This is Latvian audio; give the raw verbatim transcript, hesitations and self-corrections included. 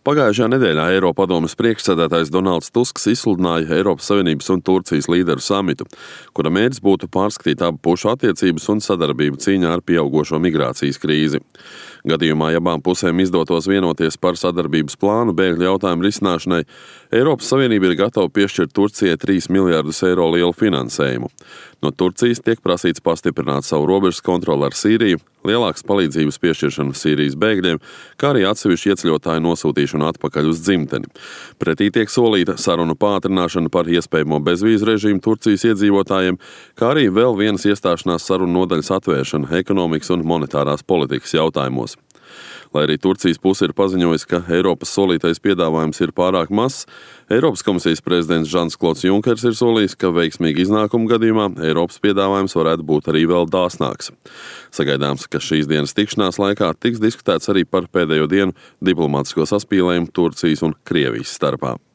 Pagājušajā nedēļā Eiropadomes priekšsēdētājs Donalds Tusks izsludināja Eiropas Savienības un Turcijas līderu samitu, kura mērķis būtu pārskatīt abu pušu attiecības un sadarbību cīņā ar pieaugošo migrācijas krīzi. Gadījumā, ja abām pusēm izdotos vienoties par sadarbības plānu bēgļu jautājumu risināšanai, Eiropas Savienība ir gatava piešķirt Turcijai trīs miljardus eiro lielu finansējumu. No Turcijas tiek prasīts pastiprināt savu robežas kontroli ar Sīriju, lielākas palīdzības piešķiršanu Sīrijas bēgļiem, kā arī atsevišķu ieceļotāju nosūtīšanu atpakaļ uz dzimteni. Pretī tiek solīta sarunu pātrināšana par iespējamo bezvīzu režīmu Turcijas iedzīvotājiem, kā arī vēl vienas iestāšanās sarunu nodaļas atvēršana ekonomikas un monetārās politikas jautājumos. Lai arī Turcijas puse ir paziņojusi, ka Eiropas solītais piedāvājums ir pārāk mazs, Eiropas komisijas prezidents Žans-Klods Junkers ir solījis, ka veiksmīga iznākuma gadījumā Eiropas piedāvājums varētu būt arī vēl dāsnāks. Sagaidāms, ka šīs dienas tikšanās laikā tiks diskutēts arī par pēdējo dienu diplomātisko saspīlējumu Turcijas un Krievijas starpā.